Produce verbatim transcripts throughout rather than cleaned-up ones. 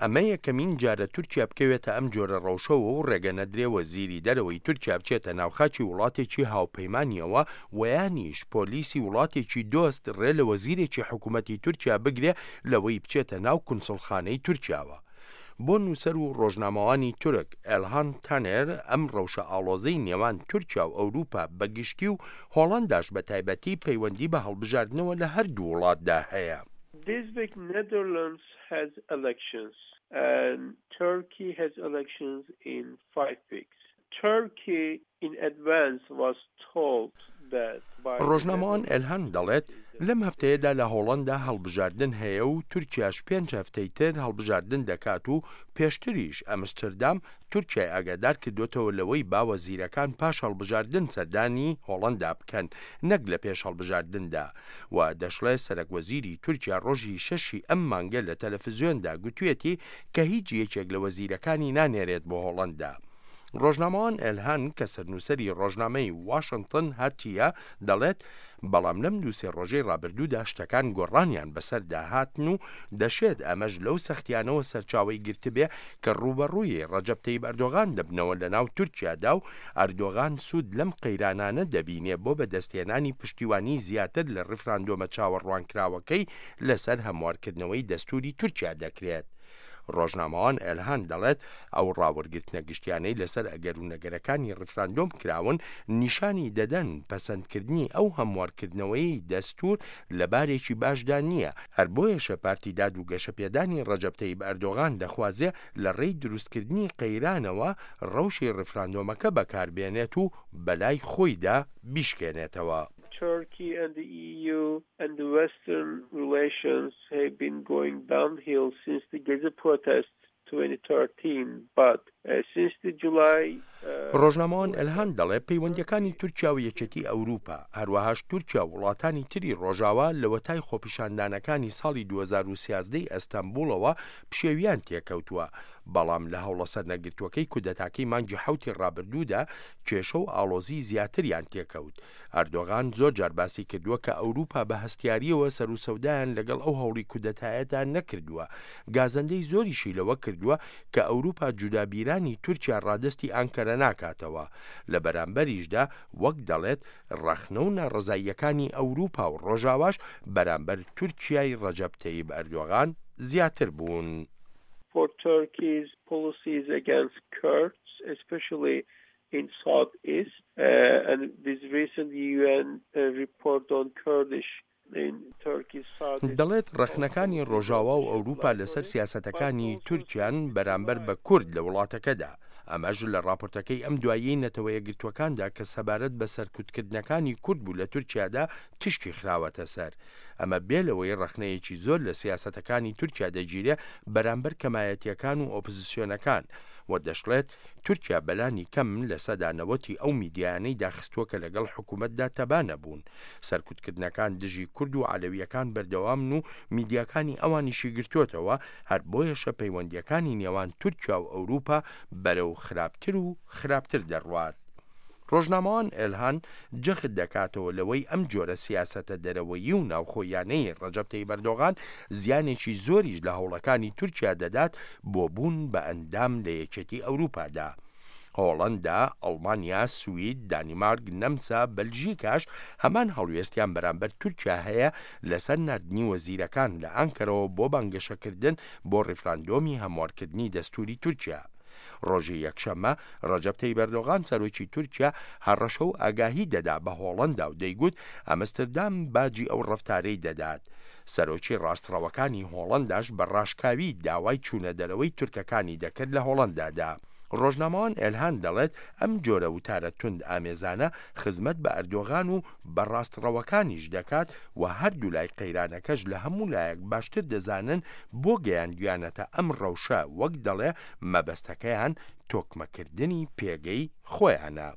ئەمە یەکەمین جارە تورکیا بکەوێتە ئەم جۆرە ڕەوشەوە و ڕێگە نەدرێ وەزیری دەرەوەی تورکیا بچێتە ناو خاکی وڵاتێکی هاوپەیمانیەوە و یانیش پۆلیسی وڵاتێکی دۆست ڕێ لە وەزیرێکی حکوومەتی تورکیا بگرێ لەوەی بچێتە ناو کونسڵخانەی تورکیاوە. بۆ نووسەر و ڕۆژنامەوانی تورک ئێلهان تانێر، ئەم ڕەوشە ئاڵۆزەی نێوان تورکیا و ئەوروپا بەگشتی و هۆڵنداش بە تایبەتی پەیوەندی بە هەڵبژاردنەوە لە هەردوو وڵاتدا هەیە. This week Netherlands has elections and Turkey has elections in five weeks. Turkey in advance was told that by ڕۆژنامەوان ئێلهان دەڵێت، لەم هەفتەیەدا لە هۆڵندا هەڵبژاردن هەیە و تورکیاش پێنج هەفتەی تر هەڵبژاردن دەکات و پێشتریش ئەمستردام تورکیای ئاگادار کردوێتەوە لەوەی با وەزیرەکان پاش هەڵبژاردن سەردانی هۆڵندا بکەن نەک لە پێش هەڵبژاردندا و دەشڵێ سەرەک وەزیری تورکیا ڕۆژی شەشی ئەم مانگە لە تەلەفزیۆندا گوتوێتی کە هیچ یەکێک لە وەزیرەکانی نانێرێت بۆ هۆڵندا. ڕۆژنامەوان ئێلهان کە سەرنووسەری ڕۆژنامەی واشنگتن هاتیە دەڵێت، بەڵام لەم دووسێ ڕۆژەی ڕابردوودا شتەکان گۆڕانیان بەسەردا هاتن و دەشێت ئەمەش لەو سەختیانەوە سەرچاوەی گرتبێ کە ڕوبەڕووی ڕەجەب تەیب ئەردۆغان دەبنەوە لە ناو تورکیادا و ئەردۆغان سوود لەم قەیرانانە دەبینێ بۆ بەدەستهێنانی پشتیوانی زیاتر لە ڕیفراندۆمە چاوەڕوانکراوەکەی لەسەر هەموارکردنەوەی دەستوری تورکیا دەکرێت. ڕۆژنامەوان ئێلهان دەڵێت، ئەو ڕاوەرگرتنە گشتیانەی لەسەر ئەگەر و نەگەرەکانی ڕیفراندۆم کراون نیشانی دەدەن پەسەندکردنی ئەو هەموارکردنەوەی دەستور لە بارێکی باشدا نییە، هەر بۆیەشە پارتی داد و گەشەپێدانی ڕەجەب تەیب ئەردۆغان دەخوازێ لە ڕێی دروستکردنی قەیرانەوە ڕەوشی ڕیفراندۆمەکە بەکاربێنێت و بەلای خۆیدا بیشکێنێتەوە. Turkey and the E U and the Western relations have been going downhill since the Gezi protests twenty thirteen, but uh, since the July ڕۆژنامەوان ئەلهان دەڵێ، پەیوەندیەکانی تورکیا و یەکێتی ئەوروپا، هەروەهاش تورکیا و وڵاتانی تری ڕۆژاوا، لەوەتای خۆپیشاندانەکانی ساڵی دوو هەزار و سیازدە ئەستەنبوڵەوە پشێویان تێکەوتووە، بەڵام لە هەوڵە سەرنەگرتووەکەی کودەتاکەی مانگی حوتی ڕابردوودا کێشە و ئاڵۆزی زیاتریان تێکەوت. ئەردۆغان زۆر جار باسی کردووە کە ئەوروپا بە هەستیاریەوە سەر و سەودایان لەگەڵ ئەو هەوڵی کودەتایەدا نەکردووە. گازەندەی زۆریشی لەوە کردووە کە ئەوروپا جودابیرانی تورکیا ڕادستی ئانکەرە ناکاتەوە. لە بەرامبەریشدا، وەک دەڵێت، ڕەخنە و ناڕزاییەکانی ئەوروپا و ڕۆژاواش بەرامبەر تورکیای ڕەجەب تەیب ئەردۆغان زیاتر بوون. For Turkey's policies against Kurds, especially in southeast, uh, and this recent U N uh, report on Kurdish دەڵێت، ڕەخنەکانی ڕۆژاوا و ئەوروپا لەسەر سیاسەتەکانی تورکیان بەرامبەر بە کورد لە وڵاتەکەدا، ئەمەش لە راپۆرتەکەی ئەم دوایی نەتەوە یەکگرتووەکاندا کە سەبارەت بە سەرکوتکردنەکانی کورد بوو لە تورکیادا تیشکی خراوەتە سەر. ئەمە بێ لەوەی ڕەخنەیەکی زۆر لە سیاسەتەکانی تورکیا دەگیرێ بەرامبەر کەمایەتیەکان و ئۆپزسیۆنەکان. و دەشڵێت، تورکیا بەلانی کەم لە سەدا نەوەتی ئەو میدیایانەی داخستووە کە لەگەڵ حکوومەتدا تەبا نەبوون. سەرکوتکردنەکان دژی کورد و عەلەویەکان بەردەوامن و میدیاکانی ئەوانیشی گرتووەتەوە. هەر بۆیەشە پەیوەندیەکانی نێوان تورکیا و ئەوروپا بەرەو خراپتر و خراپتر دەڕوات. ڕۆژنامەوان ئێلهان جەخت دەکاتەوە لەوەی ئەم جۆرە سیاسەتە دەرەوەیی و ناوخۆیانەی ڕەجەب تەیب ئەردۆغان زیانێکی زۆریش لە هەوڵەکانی تورکیا دەدات بۆ بوون بە ئەندام لە یەکێتی ئەوروپادا. هۆڵندا، ئەڵمانیا، سوید، دانیمارک، نەمسا، بەلژیکاش هەمان هەڵوێستیان بەرامبەر تورکیا هەیە لەسەر ناردنی وەزیرەکان لە ئانکەرەوە بۆ بانگەشەکردن بۆ ڕیفراندۆمی هەموارکردنی دەستوری تورکیا. ڕۆژی یەکشەممە ڕەجەب تەیب ئەردۆغان، سەرۆکی تورکیا، هەڕەشە و ئاگاهی دەدا بە هۆڵندا و دەیگوت ئەمستردام باجی ئەو ڕفتارەی دەدات. سەرۆکی ڕاستڕەوەکانی هۆڵنداش بە ڕاشکاوی داوای چوونە دەرەوەی تورکەکانی دەکرد لە هۆڵندادا. ڕۆژنامەوان ئێلهان دەڵێت، ئەم جۆرە وتارە توند ئامێزانە خزمەت بە ئەردۆغان و بە ڕاستڕەوەکانیش دەکات و هەردوو لای قەیرانەکەش لە هەموو لایەک باشتر دەزانن بۆ گەیاندویانەتە ئەم ڕەوشە. وەک دەڵێ، مەبەستەکەیان تۆکمەکردنی پێگەی خۆیانە.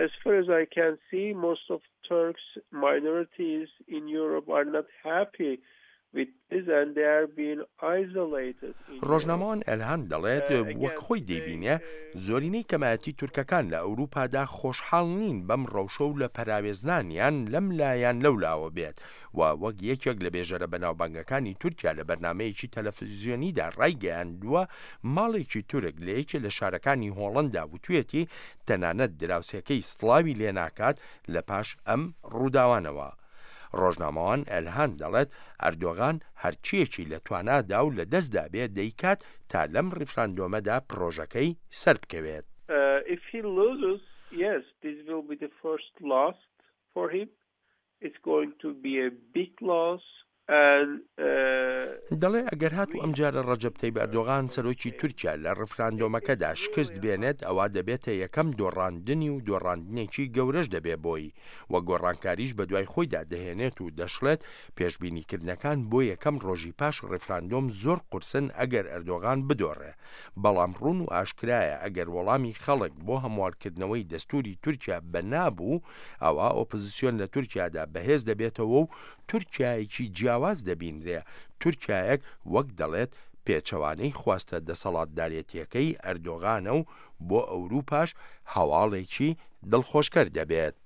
As far as I can see, most of Turks minorities in Europe are not happy with this and they are being isolated in Europe. ڕۆژنامەوان ئەلهان دەڵێت وەک خۆی دەیبینێ زۆرینەی کەمایەتی تورکەکان لە ئەوروپادا خۆشحاڵ نین بەم ڕەوشە و لە پەراوێزنانیان لەم لایان لەو لاوە بێت و وەک یەکێک لە بێژەرە بەناوبانگەکانی تورکیا لە بەرنامەیەکی تەلەفزیۆنیدا ڕایگەیاندووە ماڵێکی تورک لە یەکێ لە شارەکانی هۆڵندا وتوێتی تەنانەت دراوسێکەی سڵاوی لێ ناکات لە پاش ئەم ڕووداوانەوە. ڕۆژنامەوان ئەلهان دەڵێت ئەردۆغان هەرچیەکی لە توانادا و لە دەستدا بێ دەیکات تا لەم ڕیفراندۆمەدا پرۆژەکەی سەر بکەوێت. Uh, if he loses, yes, this will be the first loss for him. It's going to be a big loss. And, uh, دەڵێ ئەگەر هاتوو ئەمجارە ڕەجەب تەیب ئەردۆغان سەرۆکی تورکیا لە ڕفراندۆمەکەدا شکست بێنێت ئەوە دەبێتە یەکەم دۆڕاندنی و دۆڕاندنێکی گەورەش دەبێ بۆی و گۆڕانکاریش بە دوای خۆیدا دەهێنێت و دەشڵێت پێشبینیکردنەکان بۆ یەکەم ڕۆژی پاش ڕفراندۆم زۆر قورسن ئەگەر ئەردۆغان بدۆڕێ بەڵام ڕوون و ئاشکرایە ئەگەر وەڵامی خەڵک بۆ هەموارکردنەوەی دەستوری تورکیا بەنابوو ئەوە ئۆپۆزیسیۆن لە تورکیادا بەهێز دەبێتەوە و تورکیایەکی جیاواز دەبینرێ تورکیایەک وەک دەڵێت پێچەوانەی خواستە دەسەڵاتدارێتیەکەی ئەردۆغانە و بۆ ئەوروپاش هەواڵێکی دڵخۆشکەر دەبێت.